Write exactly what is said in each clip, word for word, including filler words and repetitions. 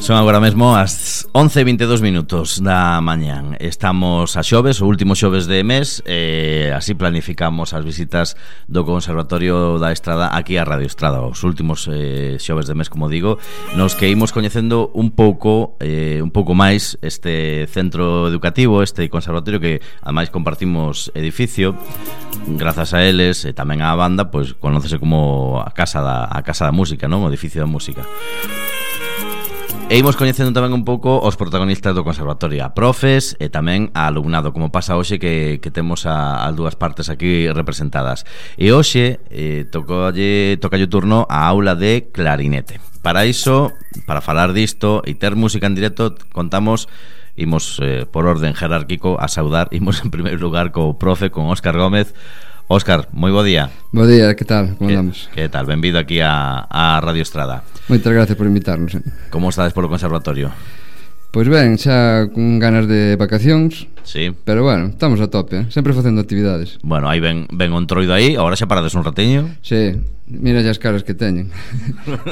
Son agora mesmo as once e vinte e dous minutos da mañán. Estamos a xoves, o último xoves de mes, e así planificamos as visitas do Conservatorio da Estrada aquí a Radio Estrada. Os últimos eh, xoves de mes, como digo, nos que imos coñecendo un pouco eh, un pouco máis este centro educativo, este conservatorio que ademais compartimos edificio. Grazas a eles e tamén á banda, pois conócese como a Casa da, a Casa da Música, non? O edificio da música. E imos coñecendo tamén un pouco os protagonistas do conservatorio, a profes e tamén a alumnado, como pasa hoxe que, que temos a, as dúas partes aquí representadas. E hoxe eh, tocalle, tocalle o turno a aula de clarinete. Para iso, para falar disto e ter música en directo, contamos, imos eh, por orden jerárquico a saudar, imos en primeiro lugar co profe, con Óscar Gómez. Óscar, moi bo día. Bo día, que tal? Como andamos? Que tal? Benvido aquí a, a Radio Estrada. Moitas gracias por invitarnos. eh. Como estades polo conservatorio? Pois ben, xa con ganas de vacacións. Sí. Pero bueno, estamos a tope, eh? Sempre facendo actividades. Bueno, aí ven, ven o entroido aí. Agora xa parades un ratiño. Sí, mira as caras que teñen.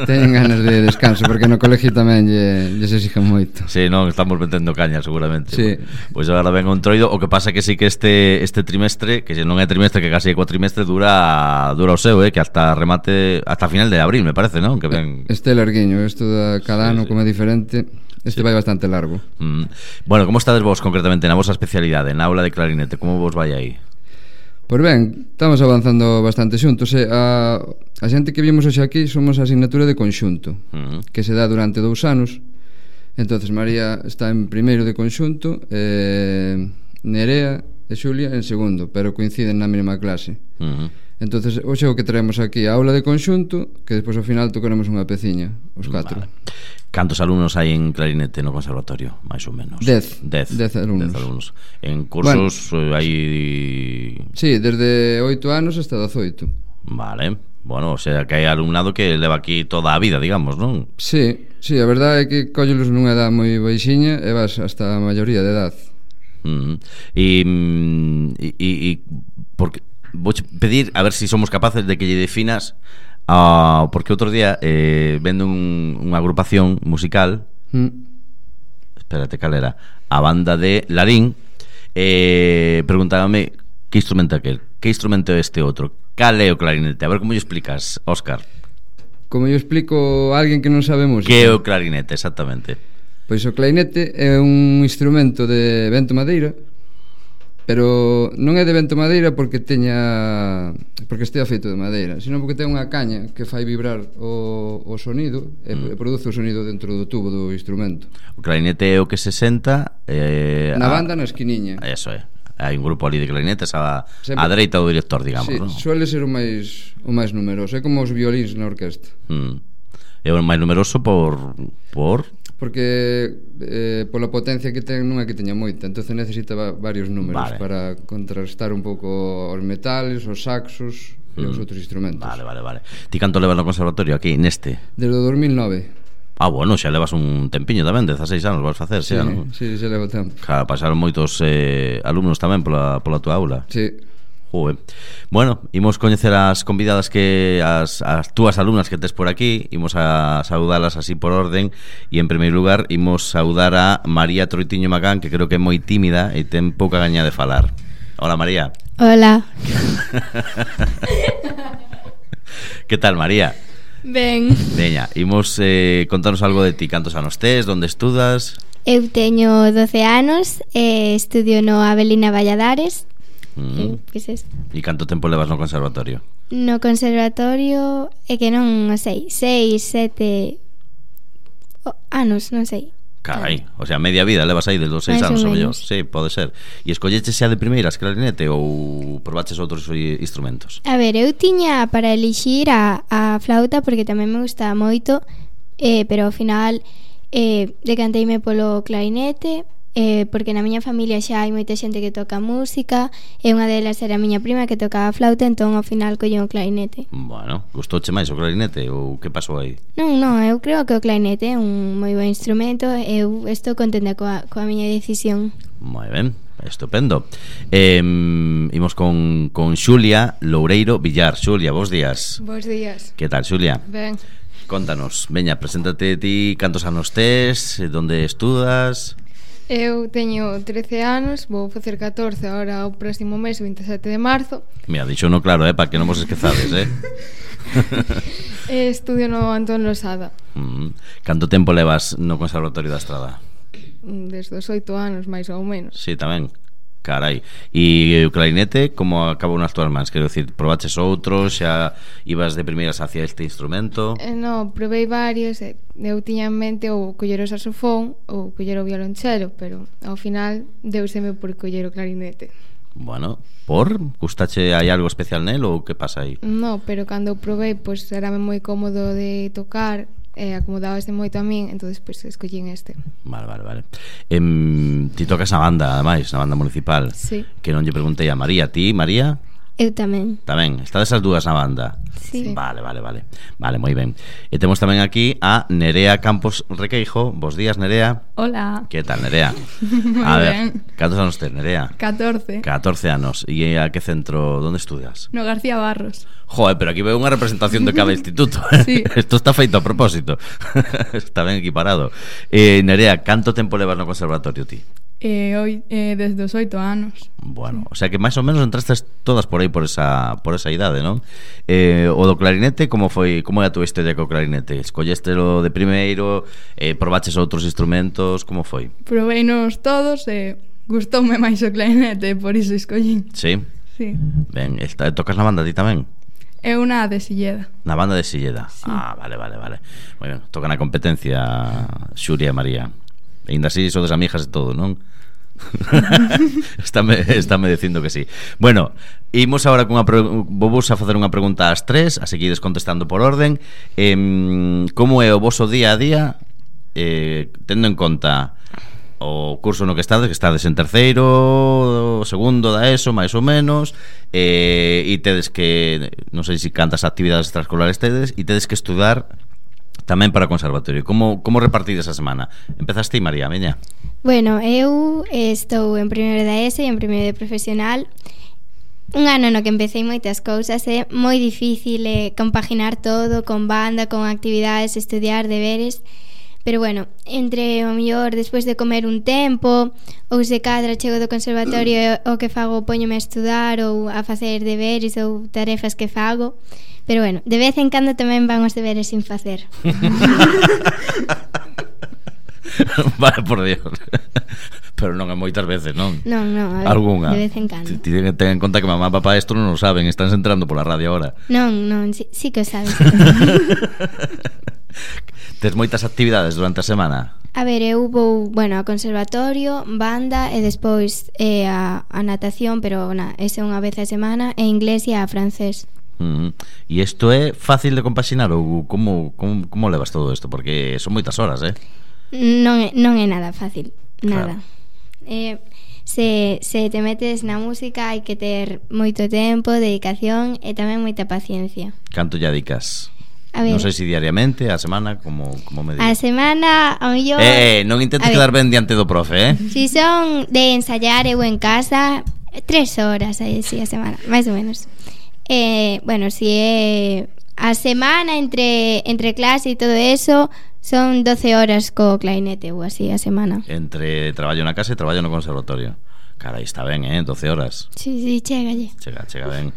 Teñen ganas de descanso, porque no colegio tamén lle, lle se exigen moito. Sí, non, estamos metendo caña seguramente. Sí. Pois agora ven o entroido. O que pasa que sí que este este trimestre, que non é trimestre, que casi é cuatrimestre, dura dura o seu, eh, que hasta remate, hasta final de abril, me parece, non? Que ven... Este é larguiño, isto da cada Sí, ano sí. como é diferente. Este Sí. vai bastante largo. Mm. Bueno, como estades vos concretamente na vosa especialidade, na aula de clarinete? Como vos vai aí? Pois ben, estamos avanzando bastante xuntos. eh? A, a xente que vimos hoxe aquí somos a asignatura de conxunto, Mm. que se dá durante dous anos. Entonces María está en primeiro de conxunto, eh, Nerea e Xulia en segundo, pero coinciden na mesma clase. Mm. Entonces hoxe o que traemos aquí a aula de conxunto, que despois ao final tocaremos unha peciña, os catro. Vale. Cantos alumnos hai en clarinete no conservatorio, máis ou menos? Dez. Dez, Dez alumnos. Dez alumnos. En cursos bueno, hai... Sí, desde oito anos hasta dezoito. Vale. Bueno, o sea, que hai alumnado que leva aquí toda a vida, digamos, non? Sí, sí, a verdade é que cóllelos nunha edad moi baixiña e vas hasta a maioría de edad. Mm. E, e, e, e porque vou pedir a ver se si somos capaces de que lle definas uh, porque outro día eh, vendo un, unha agrupación musical, Mm. espérate, cal era? A banda de Larín, eh, preguntábame que instrumento é aquel, que instrumento é este outro, cal é o clarinete? A ver como lle explicas, Óscar. Como eu explico a alguén que non sabe música. Que é o clarinete, exactamente? Pois o clarinete é un instrumento de vento madeira, pero non é de vento madeira porque teña porque estea feito de madeira, sino porque ten unha caña que fai vibrar o, o sonido e mm. produce o sonido dentro do tubo do instrumento. O clarinete é o que se senta eh, Na a... banda na esquiniña. Eso é. Hai un grupo ali de clarinetes a, Sempre... a dereita do director, digamos, sí, non? suele ser o máis o máis numeroso, é como os violíns na orquesta. Mm. É o máis numeroso por... por... Porque eh, pola potencia que ten non é que teña moita, entonces necesita va, varios números vale. para contrastar un pouco os metales, os saxos e Mm. os outros instrumentos. Vale, vale, vale. Ti canto levas no conservatorio aquí, neste? Desde o dos mil nove. Ah, bueno, xa levas un tempiño tamén, dezaseis anos vas facer, Sí, xa, non? sí, xa levo tempo. Claro, pasaron moitos eh, alumnos tamén pola, pola tua aula. Sí. Joder. Bueno, imos coñecer as convidadas que as, as túas alumnas que tes por aquí. Imos a saudalas así por orden. E en primeiro lugar imos saudar a María Troitiño Macán, que creo que é moi tímida e ten pouca gaña de falar. Hola, María. Hola. Que tal, María? Ben. Veña, imos eh, contarnos algo de ti. Cantos anos tes, onde estudas? Eu teño doce anos e estudio no Avelina Valladares. Mm. E, pois es. E canto tempo levas no conservatorio? No conservatorio é que non o sei, seis, sete oh, anos, non sei. Carai, o sea, media vida levas aí desde os seis Mais anos ou o mellor. menos. Sí, pode ser. E escolleches xa de primeiras clarinete ou probaches outros instrumentos? A ver, eu tiña para elixir a, a flauta porque tamén me gustaba moito, eh, pero ao final eh, decanteime polo clarinete, eh, porque na miña familia xa hai moita xente que toca música e unha delas era a miña prima que tocaba flauta, entón ao final colleu o clarinete. Bueno, gustouche máis o clarinete ou que pasou aí? Non, non, eu creo que o clarinete é un moi bon instrumento e eu estou contenta coa, coa miña decisión. Moi ben, estupendo. eh, Imos con, con Xulia Loureiro Villar. Xulia, bos días. Bos días. Que tal, Xulia? Ben. Contanos, veña, preséntate ti, cantos anos tes, donde estudas? Eu teño trece anos, vou facer catorce agora o próximo mes, vinte e sete de marzo. Mira, dixo no claro, eh, para que non vos esquezades, eh. E estudio no Antón Losada. Mm. Canto tempo levas no Conservatorio da Estrada? Desde os oito anos, máis ou menos. Sí, tamén. Carai. E o clarinete, como acabou nas túas mans? Quero dicir, probaches outros, xa ibas de primeiras hacia este instrumento? Eh, no, provei varios, e eu tiña en mente ou coller o saxofón ou coller o violonchelo, pero ao final deuseme por coller o clarinete. Bueno, por? Gustache, hai algo especial nel ou que pasa aí? No, pero cando o provei, pois pues, era moi cómodo de tocar, e eh, acomodábase moito a min, entonces pois pues, escollín este. Vale, vale, vale. Em, ti tocas na banda, ademais, na banda municipal. Sí. Que non lle preguntei a María. Ti, María? Eu tamén. Tamén, estades as dúas na banda. Sí. Vale, vale, vale. Vale, moi ben. E temos tamén aquí a Nerea Campos Requeijo. Bos días, Nerea. Hola. Que tal, Nerea? Moi A ver, ben. cantos anos tes, Nerea? catorce. catorce anos. E a que centro, onde estudias? No García Barros. Joder, pero aquí veo unha representación de cada instituto. Sí. Isto está feito a propósito. Está ben equiparado. Eh, Nerea, canto tempo levas no conservatorio ti? Eh, hoy, eh, desde os oito anos. Bueno, o sea que máis ou menos entrastes todas por aí por esa por esa idade, non? Eh, o do clarinete, como foi, como é a túa historia co clarinete? Escollestelo de primeiro, eh, probaches outros instrumentos, como foi? Proveinos todos e gustoume máis o clarinete, por iso escollín. Sí? Sí. Ben, está, tocas na banda ti tamén? É unha de Silleda. Na banda de Silleda. Sí. Ah, vale, vale, vale. Moi ben, toca na competencia Xuria e María. E ainda así sodes amigas e todo, non? Estáme, estáme dicindo que sí. Bueno, imos agora cunha vos a facer unha pregunta ás tres, a seguides contestando por orden. eh, Como é o voso día a día, eh, tendo en conta o curso no que estades, que estades en terceiro, segundo da ESO, máis ou menos, eh, e tedes que, non sei se cantas actividades extraescolares tedes, e tedes que estudar tamén para o conservatorio. Como, como repartides a semana? Empezas ti, María, veña. Bueno, eu estou en primeiro da ESO e en primeiro de profesional. Un ano no que empecé moitas cousas, é moi difícil eh, compaginar todo con banda, con actividades, estudiar, deberes. Pero bueno, entre o mellor despois de comer un tempo, ou se cadra chego do conservatorio e o que fago poñome a estudar ou a facer deberes ou tarefas que fago. Pero bueno, de vez en cando tamén van os deberes sin facer. Vale, por Dios. Pero non é moitas veces, non? Non, non, a ver, Algúnha. de vez en cando. Ti ten, ten en conta que mamá e papá isto non o saben, están entrando pola radio ahora. Non, non, sí, sí que o sabes. Tes moitas actividades durante a semana? A ver, eu vou, bueno, a conservatorio, banda e despois eh, a, a natación, pero na, ese unha vez a semana, e inglés e a francés. Uh-huh. E isto é fácil de compaxinar ou como, como, como levas todo isto? Porque son moitas horas, eh? Non é, non é nada fácil, nada. Claro. Eh, se, se te metes na música hai que ter moito tempo, dedicación e tamén moita paciencia. Canto lle dedicas? A ver, Non sei se diariamente, a semana, como, como me a digas. semana, ao mellor... Eh, non intentes quedar ben diante do profe, eh? Si son de ensayar eu en casa, tres horas aí, sí, a semana, máis ou menos. Eh, bueno, si é a semana entre entre clase e todo eso, son doce horas co clarinete ou así a semana. Entre traballo na casa e traballo no conservatorio. Carai, está ben, eh? doce horas. Sí, sí, chégalle. Chega, chega ben.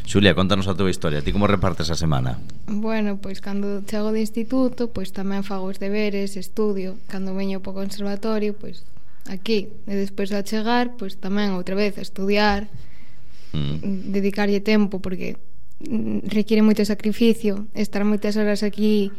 Xulia, contanos a túa historia. Ti como repartes a semana? Bueno, pois cando chego de instituto, pois tamén fago os deberes, estudio. Cando veño po conservatorio, pois aquí. E despois a chegar, pois tamén outra vez a estudiar, mm. dedicarlle tempo, porque requiere moito sacrificio. Estar moitas horas aquí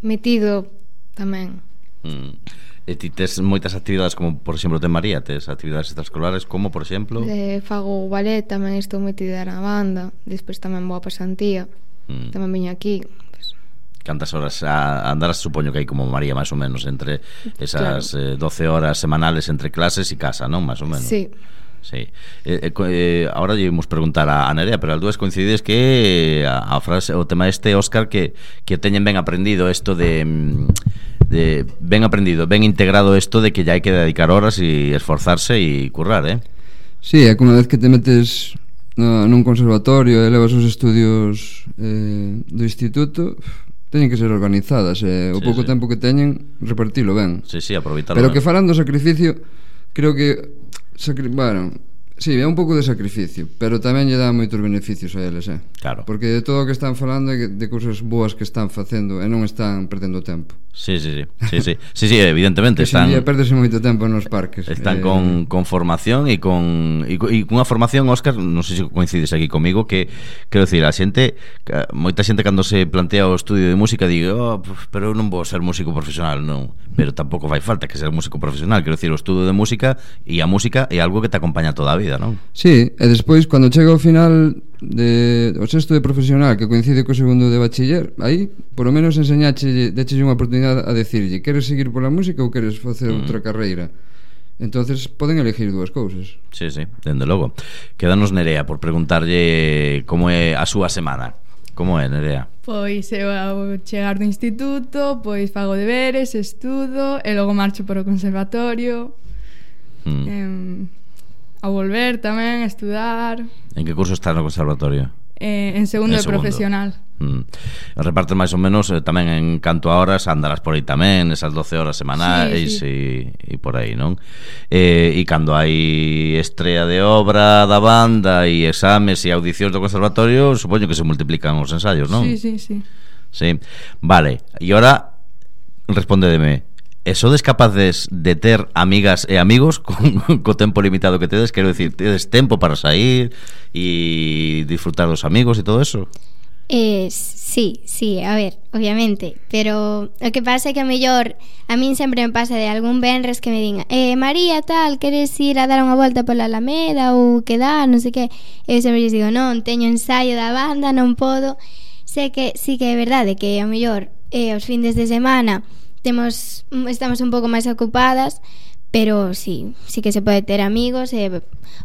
metido tamén. Mm. E ti tes moitas actividades, como por exemplo ten María, tes actividades extraescolares, como por exemplo? Eh, fago ballet, tamén estou metida na banda. Despois tamén vou a pasantía, mm. tamén veño aquí, pues. Cantas horas a andarás? Supoño que hai como María, máis ou menos, entre esas claro. eh, doce horas semanales entre clases e casa, non? Máis ou menos. Sí. Sí. Eh, eh, ahora lle imos preguntar a, a Nerea, pero as dúas coincides que a, a frase, o tema este, Óscar, que, que teñen ben aprendido isto de, de ben aprendido, ben integrado isto de que ya hai que dedicar horas e esforzarse e currar, eh? Sí, é que unha vez que te metes no, nun conservatorio e levas os estudios eh, do instituto, teñen que ser organizadas, e o Sí, pouco sí. tempo que teñen repartilo ben. Sí, sí, aproveitarlo. Pero ben. que falan do sacrificio, creo que sacri... bueno, sí, é un pouco de sacrificio, pero tamén lle dá moitos beneficios a eles, eh? Claro. Porque de todo o que están falando é de cousas boas que están facendo e non están perdendo tempo. Sí, sí, sí. Sí, sí. Sí, sí, evidentemente Que están... están perdese moito tempo nos parques. están eh... con, con formación e con e, co- e cunha formación, Óscar, non sei se coincides aquí comigo, que quero dicir, a xente, que- moita xente cando se plantea o estudio de música digue, "Oh, pf, pero eu non vou ser músico profesional", non, pero tampouco fai falta que ser músico profesional, quero dicir, o estudo de música e a música é algo que te acompaña toda a vida, non? Sí, e despois cando chega ao final de o sexto de profesional que coincide co segundo de bachiller, aí por lo menos enseñache, dechelle unha oportunidade a decirlle, queres seguir pola música ou queres facer Mm. outra carreira? Entonces poden elegir dúas cousas. Sí, sí, dende logo. Quédanos Nerea por preguntarlle como é a súa semana. Como é, Nerea? Pois eu ao chegar do instituto, pois fago deberes, estudo e logo marcho para o conservatorio. Mm. em, Ao volver tamén, estudar. En que curso estás no conservatorio? eh, En segundo En de segundo. profesional. Mm. Repartes máis ou menos eh, tamén en canto a horas andarás por aí tamén, esas doce horas semanais Sí, e, e por aí, non? Eh, e cando hai estrea de obra da banda e exames e audicións do conservatorio, supoño que se multiplican os ensaios, non? Sí, sí, sí. Sí. Vale, e ora respondedeme, e sodes capaces de ter amigas e amigos con, co tempo limitado que tedes? Quero dicir, tedes tempo para sair e disfrutar dos amigos e todo eso? Eh, sí, sí, a ver, obviamente. Pero o que pasa é que a mellor a min sempre me pasa de algún venres que me diga eh, María, tal, queres ir a dar unha volta pola Alameda ou quedar, non sei que. Eu sempre lles digo, non, teño ensaio da banda, non podo. Sé que sí que é verdade que a mellor eh, os findes de semana temos estamos un pouco máis ocupadas, pero sí, sí que se pode ter amigos e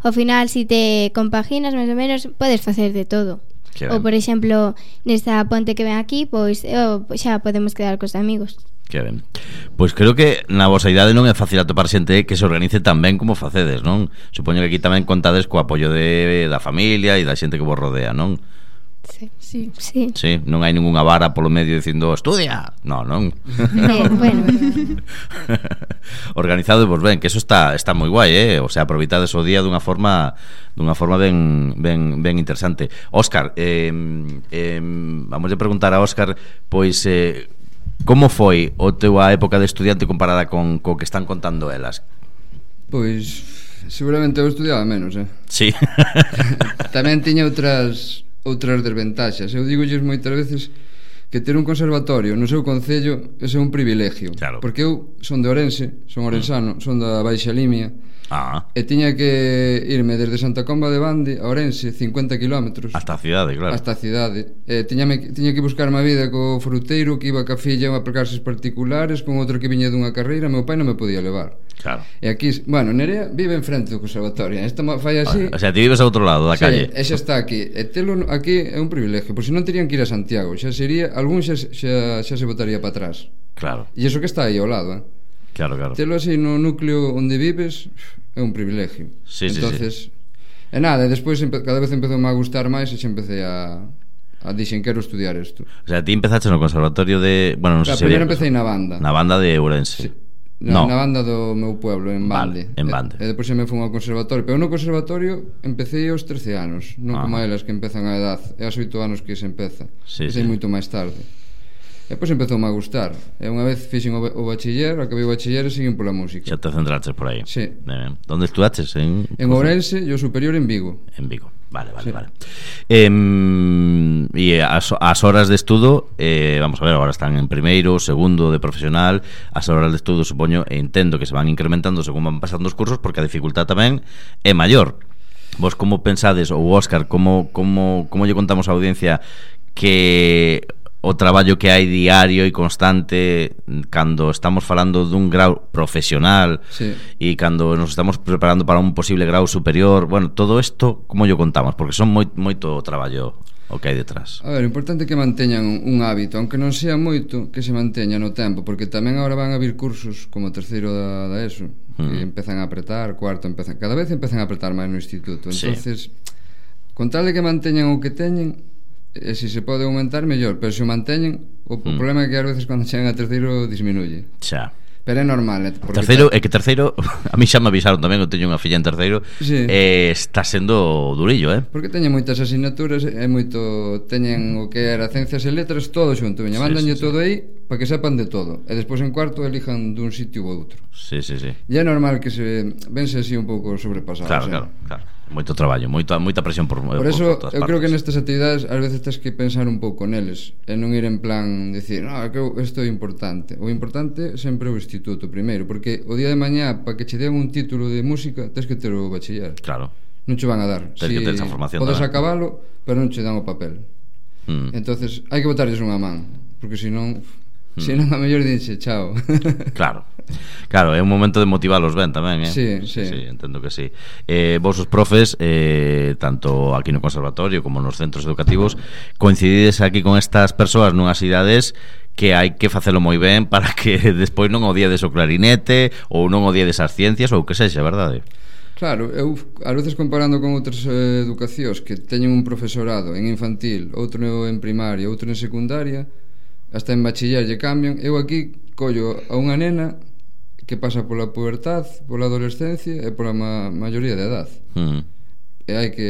ao final si te compaginas máis ou menos podes facer de todo. Que Ou ben. por exemplo, nesta ponte que ven aquí, pois eu, xa podemos quedar cos amigos. Que ben. Pois creo que na vosa idade non é fácil atopar xente que se organice tan ben como facedes, non? Supoño que aquí tamén contades co apoio de, da familia e da xente que vos rodea, non? Sí. Sí. Sí. Sí, non hai ningunha vara polo medio dicindo estudia. No, non. Eh, bueno, Organizado e vos ben, que eso está está moi guai, eh? O sea, aproveitades o día dunha forma dunha forma ben ben ben interesante. Óscar, eh, eh vamos a preguntar a Óscar, pois eh, como foi o teu a época de estudiante comparada con co que están contando elas? Pois seguramente eu estudiaba menos, eh? Sí. Tamén tiña outras outras desventaxas. Eu digolles moitas veces que ter un conservatorio no seu concello é un privilegio. Claro. Porque eu son de Ourense, son orensano, son da Baixa Limia, Ah, e tiña que irme desde Santa Comba de Bande a Ourense cincuenta kilómetros hasta a cidade, claro. hasta a cidade. E tiñame, tiña que buscarme a vida co fruteiro que iba ca filla a clases particulares, con outro que viña dunha carreira, meu pai non me podía levar. Claro. E aquí, bueno, Nerea vive enfrente do conservatorio. Esta fai así. O sea, ti vives ao outro lado da Sí, calle. e xa está aquí. E telo aquí é un privilegio, por se non terían que ir a Santiago, xa sería, algún xa, xa, xa se botaría para atrás. Claro, E iso que está aí ao lado, eh? claro, claro. Telo así no núcleo onde vives é un privilegio. Sí, sí, Entonces, e nada, e despois empe- cada vez empezou a gustar máis e xa empecé a a dixen quero estudiar isto. O sea, ti empezaste no conservatorio de, bueno, non sei Claro, se primeiro había- empecé na banda. na banda de Ourense. Sí. Na, No. na banda do meu pueblo, en Vale, Bande. en Bande. E, e depois xa me fui ao conservatorio. Pero no conservatorio empecé aos trece anos, non Ah. como elas que empezan a edad. É aos oito anos que se empeza. Sí, Empecé sí. moito máis tarde. E depois empezou a gustar. E unha vez fixen o, ba- o bachiller, acabei o bachiller e seguín pola música. Xa te centraches por aí. Sí. Ben, ben. Donde estudaches? En, En Ourense e o superior en Vigo. En Vigo. Vale, vale, Sí. vale. E as, as horas de estudo, eh, vamos a ver, agora están en primeiro, segundo de profesional. As horas de estudo, supoño, e entendo que se van incrementando según van pasando os cursos, porque a dificultad tamén é maior. Vos como pensades, ou Óscar, como, como, como lle contamos á audiencia que o traballo que hai diario e constante cando estamos falando dun grau profesional Sí. e cando nos estamos preparando para un posible grau superior, bueno, todo isto como yo contamos, porque son moi, moito traballo o que hai detrás. A ver, o importante é que manteñan un, un hábito, aunque non sea moito, que se manteña no tempo, porque tamén agora van a vir cursos como terceiro da, da ESO, que Mm. empezan a apretar, cuarto empezan, cada vez empezan a apretar máis no instituto. Sí. Entonces, con tal de que manteñan o que teñen, e se se pode aumentar, mellor, pero se o manteñen, o, mm. o problema é que ás veces cando chegan a terceiro disminuye. Xa. Pero é normal, eh, porque terceiro, é que terceiro, a mí xa me avisaron tamén, eu teño unha filla en terceiro, sí. eh, está sendo durillo, eh? Porque teñen moitas asignaturas, é moito, teñen o que era ciencias e letras, todo xunto, veña, mandanlle sí, sí, todo sí. aí para que sepan de todo, e despois en cuarto elijan dun sitio ou outro. Sí, sí, sí. E é normal que se vense así un pouco sobrepasados. Claro, eh? claro, claro. Moito traballo, moita, moita presión por, por eso, por, por eu creo que nestas actividades ás veces tens que pensar un pouco neles e non ir en plan dicir, no, que isto é importante. O importante sempre é o instituto primeiro, porque o día de mañá para que che den un título de música tens que ter o bachiller. Claro. Non che van a dar. Tens si que ter esa formación. Podes tamén. acabalo, pero non che dan o papel. Mm. Entonces hai que botarlles unha man, porque senón mm. senón a mellor dixe chao. Claro. Claro, é un momento de motivalos ben tamén, eh? Sí, sí, sí, entendo que sí. Eh, vos os profes, eh, tanto aquí no conservatorio como nos centros educativos, coincidides aquí con estas persoas nunhas idades que hai que facelo moi ben para que despois non odiedes o clarinete ou non odiedes as ciencias ou que sexa, verdade? Claro, eu ás veces comparando con outras eh, educacións que teñen un profesorado en infantil, outro en primaria, outro en secundaria, hasta en bachiller lle cambian, eu aquí collo a unha nena que pasa pola pubertad, pola adolescencia e pola ma maioría de edad. Mm. E hai que,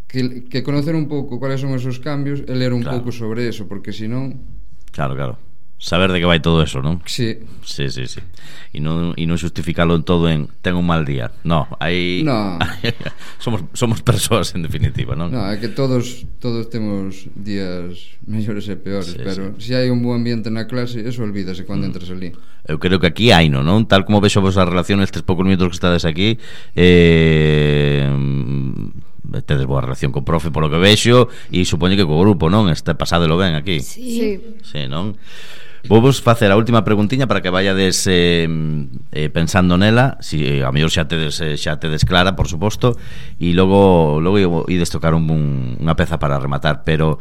que que conocer un pouco cuáles son esos cambios e ler un claro. pouco sobre eso, porque senón... Claro, claro. Saber de que vai todo eso, non? Sí. Sí, sí, sí. E non, e non justificalo en todo en ten un mal día. No, aí no. somos somos persoas en definitiva, non? No, é que todos todos temos días mellores e peores, sí, pero sí. Se hai un bo ambiente na clase, eso olvídase cando mm. entras ali. Eu creo que aquí hai, non? Tal como vexo vos a relación estes poucos minutos que estades aquí, eh tedes boa relación co profe polo que vexo e supoño que co grupo, non? Este pasádelo ben aquí. Sí. Sí, non? Vou vos facer a última preguntiña para que vayades eh, eh, pensando nela, si a mellor xa tedes eh, xa tedes clara, por suposto, e logo logo ides tocar un, un, unha peza para rematar, pero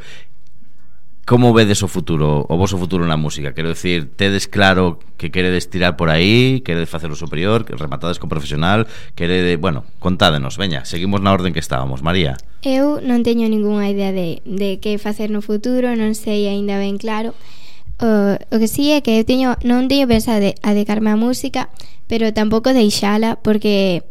como vedes o futuro, o voso futuro na música? Quero dicir, tedes claro que queredes tirar por aí, queredes facer o superior, que rematades co profesional, queredes, bueno, contádenos, veña, seguimos na orden que estábamos. María. Eu non teño ningunha idea de, de que facer no futuro, non sei aínda ben claro. O, o que sí é que eu teño, non teño pensado de, a dedicarme á música, pero tampouco deixala, porque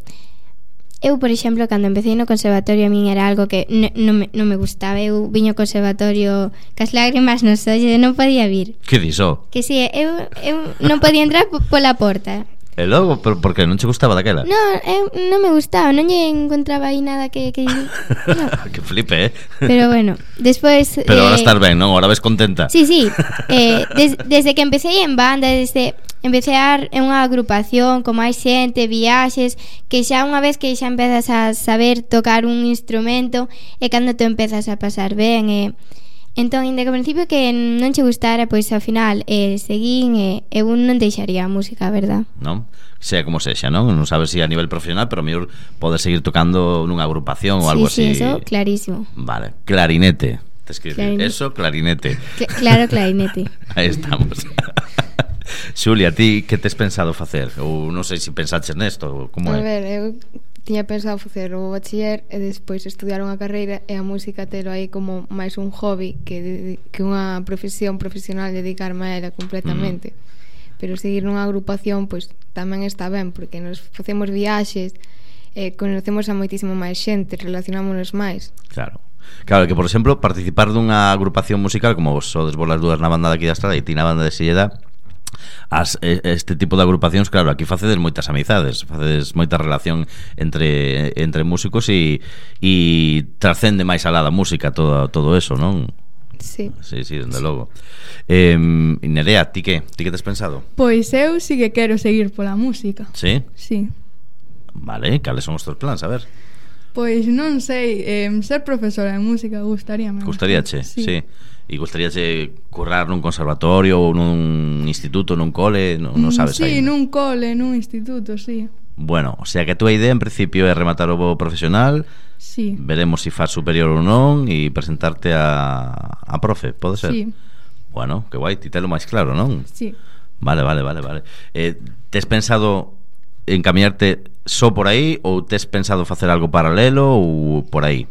eu, por exemplo, cando empecé no conservatorio, a min era algo que non me, non me gustaba. Eu viño ao conservatorio cas lágrimas nos ollos e non podía vir. Que diso? Que si, eu, eu non podía entrar pola porta. E logo, pero por que non che gustaba daquela? Non, eu non me gustaba, non lle encontraba aí nada que... que, no. Que flipe, eh? Pero bueno, despois... Pero eh, ahora estás ben, non? Ahora ves contenta? Sí, sí, eh, des, desde que empecé en banda, desde... Empecé a en unha agrupación con máis xente, viaxes, que xa unha vez que xa empezas a saber tocar un instrumento é cando te empezas a pasar ben e... Entón, inda que ao principio que non che gustara, pois ao final eh, seguín e eu non deixaría a música, a verdad. Non? Sea como sexa, non? Non sabes se si a nivel profesional, pero a mellor podes seguir tocando nunha agrupación ou sí, algo sí, así. Sí, eso, clarísimo. Vale, clarinete. Te escribir clarinete. Eso, clarinete. Cl claro, clarinete. Aí estamos. Xulia, ti que tes pensado facer? Ou non sei se pensaches nesto, como é? A ver, eu tiña pensado facer o bachiller e despois estudiar unha carreira e a música telo aí como máis un hobby que, que unha profesión profesional, dedicarme a ela completamente. Mm. Pero seguir nunha agrupación pois tamén está ben, porque nos facemos viaxes, eh, conocemos a moitísimo máis xente, relacionámonos máis. Claro. Claro, que por exemplo participar dunha agrupación musical como vos sodes vos las dúas na banda daqui da Estrada e ti na banda de Silleda, as, este tipo de agrupacións, claro, aquí facedes moitas amizades, facedes moita relación entre entre músicos e e trascende máis alá da música todo todo eso, non? Sí. Sí, sí, dende sí. Logo. Eh, Nerea, ti que? Ti que tes pensado? Pois eu sí que quero seguir pola música. Sí? Sí. Vale, cales son os teus plans, a ver? Pois non sei, eh, ser profesora de música gustaríame. Gustaríache, sí. sí. E gustaríache currar nun conservatorio ou nun instituto, nun cole, non, non sabes sí, aí. Sí, nun cole, nun instituto, sí. Bueno, o sea que a túa idea en principio é rematar o bo profesional. Sí. Veremos se si faz superior ou non e presentarte a a profe, pode ser? Sí. Bueno, que guai, ti telo máis claro, non? Sí. Vale, vale, vale, vale. Eh, tes pensado encaminarte só por aí ou tes pensado facer algo paralelo ou por aí?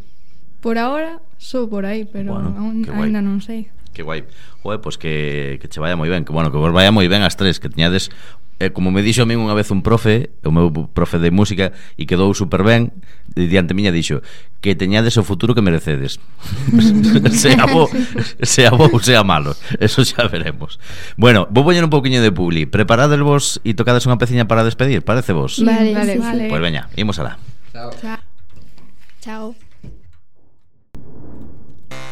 Por ahora, sou por aí, pero Bueno, aún, que guai. ainda non sei. Que guai. Oe, pois que, que che vaya moi ben. Que bueno, que vos vaya moi ben as tres. Que teñades, eh, como me dixo a min unha vez un profe, o meu profe de música, e quedou super ben, e diante miña dixo que teñades o futuro que merecedes. Sea bo, sea bo ou sea malo. Eso xa veremos. Bueno, vou poñer un pouquiño de publi. Preparades vos e tocades unha peciña para despedir, parece vos? Vale, Vale, sí, sí. vale. Pois veña, imos alá. Chao. Chao. Chao.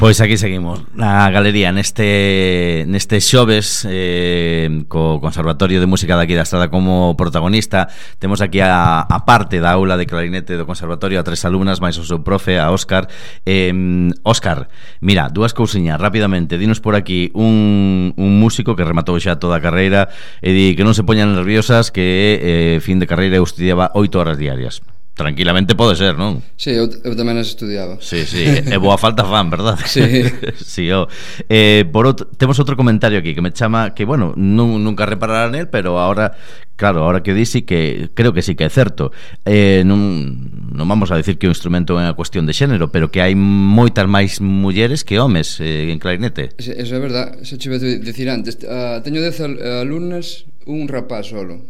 Pois aquí seguimos na galería neste neste xoves eh, co Conservatorio de Música daqui da Estrada como protagonista. Temos aquí a, a parte da aula de clarinete do Conservatorio a tres alumnas máis o seu profe, a Óscar. eh, Óscar, mira, dúas cousiñas rapidamente. Dinos por aquí un, un músico que rematou xa toda a carreira e di que non se poñan nerviosas, que eh, fin de carreira eu estudiaba oito horas diarias. Tranquilamente pode ser, non? Sí, eu, eu tamén as estudiaba. Sí, sí, e boa falta fan, verdad? Sí. Sí, oh. eh, por outro, temos outro comentario aquí que me chama, que bueno, non, nunca reparará nel, pero ahora, claro, ahora que dixi que creo que sí que é certo. Eh, non, non vamos a decir que o instrumento é unha cuestión de xénero, pero que hai moitas máis mulleres que homes eh, en clarinete. Eso, eso é verdad, eso che vou dicir antes. Uh, teño dez al, alumnas, un rapaz solo.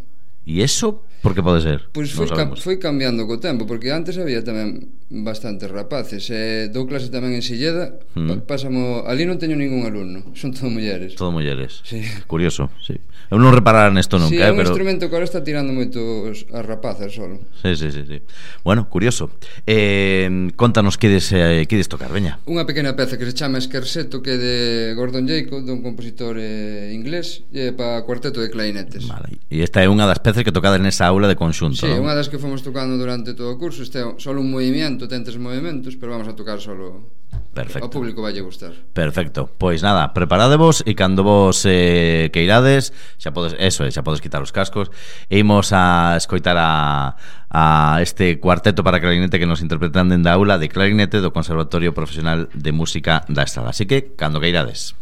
E eso, por que pode ser? Pois Non foi, cam, sabemos. foi cambiando co tempo, porque antes había tamén bastantes rapaces. E dou clase tamén en Silleda, Mm. pa, pásamo, ali non teño ningún alumno, son todo mulleres. Todo mulleres. Sí. Curioso, sí. Eu non reparara nesto nunca, Sí, eh, é un pero instrumento que ahora está tirando moitos as rapazas solo. Sí, sí, sí, sí. Bueno, curioso. Eh, contanos que des, eh, que des tocar, veña. Unha pequena peza que se chama Scherzetto, que é de Gordon Jacob, dun compositor eh, inglés, e é para cuarteto de clarinetes. Vale. E esta é unha das pezas que tocades nesa aula de conxunto, Sí, non? unha das que fomos tocando durante todo o curso. Este é solo un movimento, ten tres movimentos, pero vamos a tocar solo. Perfecto. Ao público vai lle gustar. Perfecto. Pois nada, preparadevos e cando vos eh, queirades, xa podes, eso, xa podes quitar os cascos e imos a escoitar a, a este cuarteto para clarinete que nos interpretan dende a aula de clarinete do Conservatorio Profesional de Música da Estrada. Así que, cando queirades.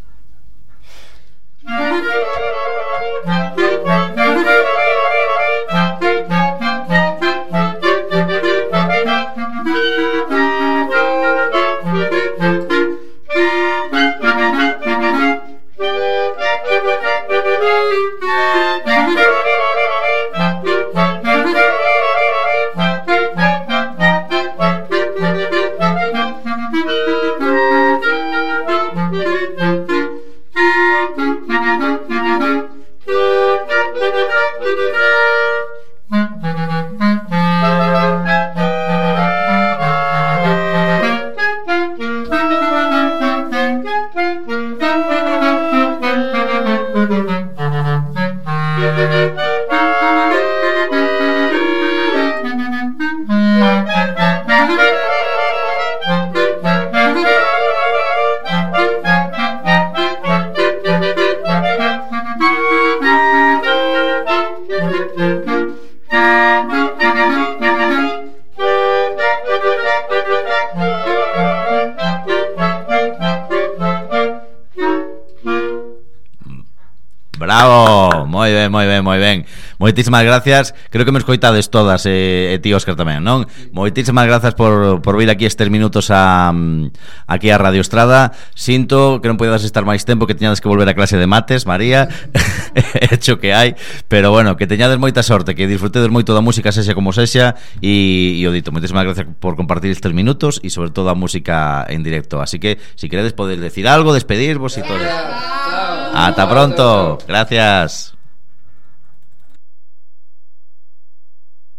Bravo, moi ben, moi ben, moi ben. Moitísimas gracias. Creo que me escoitades todas, e eh, ti Óscar tamén, non? Moitísimas grazas por, por vir aquí estes minutos a aquí a Radio Estrada. Sinto que non podedas estar máis tempo, que teñades que volver a clase de mates, María. Hecho que hai, pero bueno, que teñades moita sorte, que disfrutedes moito da música, sexa como sexa, e, e o dito, moitísimas gracias por compartir estes minutos e sobre todo a música en directo. Así que, si queredes, podedes decir algo, despedirvos e todo. Chao. Hasta pronto. Gracias.